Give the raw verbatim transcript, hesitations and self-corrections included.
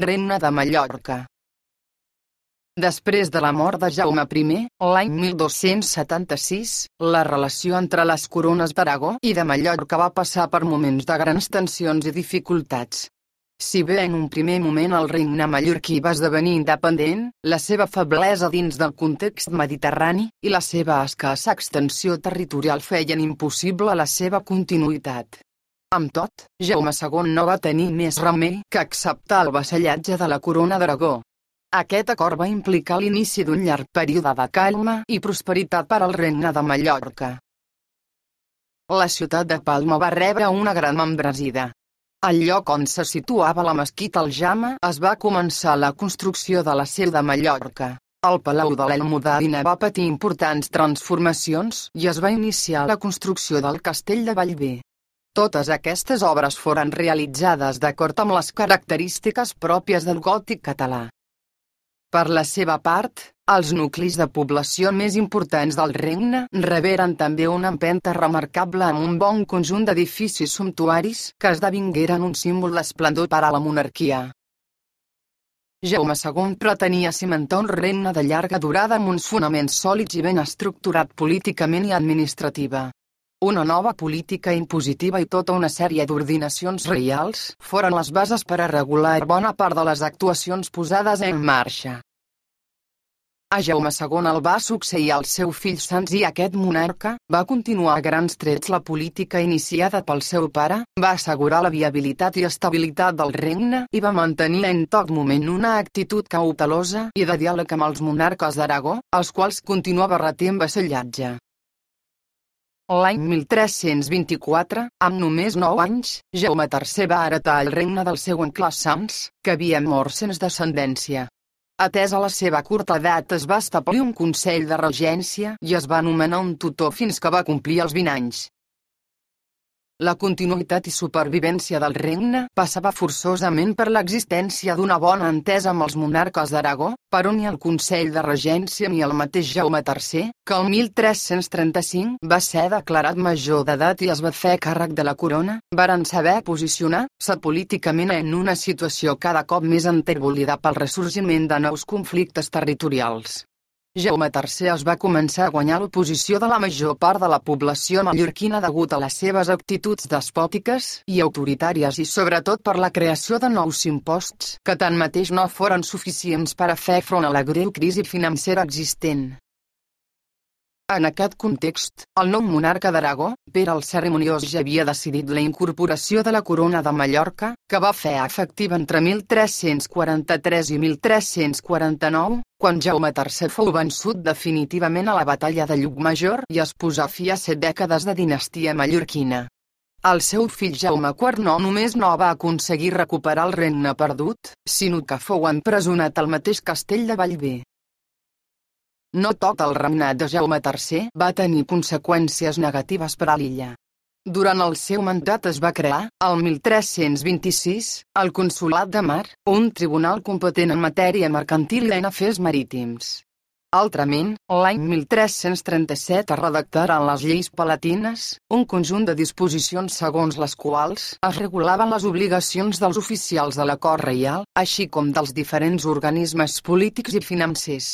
Regne de Mallorca. Després de la mort de Jaume I, l'any mil dos-cents setanta-sis, la relació entre les corones d'Aragó i de Mallorca va passar per moments de grans tensions i dificultats. Si bé en un primer moment el regne mallorquí va esdevenir independent, la seva feblesa dins del context mediterrani i la seva escassa extensió territorial feien impossible la seva continuïtat. Amb tot, Jaume segon no va tenir més remei que acceptar el vassallatge de la corona d'Aragó. Aquest acord va implicar l'inici d'un llarg període de calma i prosperitat per al regne de Mallorca. La ciutat de Palma va rebre una gran embranzida. Al lloc on se situava la mesquita Aljama es va començar la construcció de la seu de Mallorca. El Palau de l'Almudadina va patir importants transformacions i es va iniciar la construcció del castell de Bellver. Totes aquestes obres foren realitzades d'acord amb les característiques pròpies del gòtic català. Per la seva part, els nuclis de població més importants del regne reberen també una empenta remarcable amb un bon conjunt d'edificis sumptuaris que esdevingueren un símbol d'esplendor per a la monarquia. Jaume segon pretenia cimentar un regne de llarga durada amb uns fonaments sòlids i ben estructurat políticament i administrativa. Una nova política impositiva i tota una sèrie d'ordinacions reials foren les bases per a regular bona part de les actuacions posades en marxa. A Jaume segon el va succeir el seu fill Sanç i aquest monarca va continuar a grans trets la política iniciada pel seu pare, va assegurar la viabilitat i estabilitat del regne i va mantenir en tot moment una actitud cautelosa i de diàleg amb els monarques d'Aragó, als quals continuava retent vassallatge. L'any mil tres-cents vint-i-quatre, amb només nou anys, Jaume tercer va heretar el regne del seu oncle Sanç, que havia mort sense descendència. Atesa la seva curta edat es va establir un consell de regència i es va nomenar un tutor fins que va complir els vint anys. La continuïtat i supervivència del regne passava forçosament per l'existència d'una bona entesa amb els monarques d'Aragó, per on ni el Consell de Regència ni el mateix Jaume tercer, que el mil tres-cents trenta-cinc va ser declarat major d'edat i es va fer càrrec de la corona, varen saber posicionar-se políticament en una situació cada cop més enterbolida pel ressorgiment de nous conflictes territorials. Jaume tercer es va començar a guanyar l'oposició de la major part de la població mallorquina degut a les seves actituds despòtiques i autoritàries i sobretot per la creació de nous imposts que tanmateix no foren suficients per a fer front a la greu crisi financera existent. En aquest context, el nou monarca d'Aragó, Pere el Cerimoniós, ja havia decidit la incorporació de la corona de Mallorca, que va fer efectiva entre mil tres-cents quaranta-tres i mil tres-cents quaranta-nou, quan Jaume tercer fou vençut definitivament a la batalla de Llucmajor i es posà fi a set dècades de dinastia mallorquina. El seu fill Jaume quart no només no va aconseguir recuperar el regne perdut, sinó que fou empresonat al mateix castell de Bellver. No tot el regnat de Jaume tercer va tenir conseqüències negatives per a l'illa. Durant el seu mandat es va crear, el mil tres-cents vint-i-sis, el Consolat de Mar, un tribunal competent en matèria mercantil i en afers marítims. Altrament, l'any mil tres-cents trenta-set es redactaren les lleis palatines, un conjunt de disposicions segons les quals es regulaven les obligacions dels oficials de la cort reial, així com dels diferents organismes polítics i financers.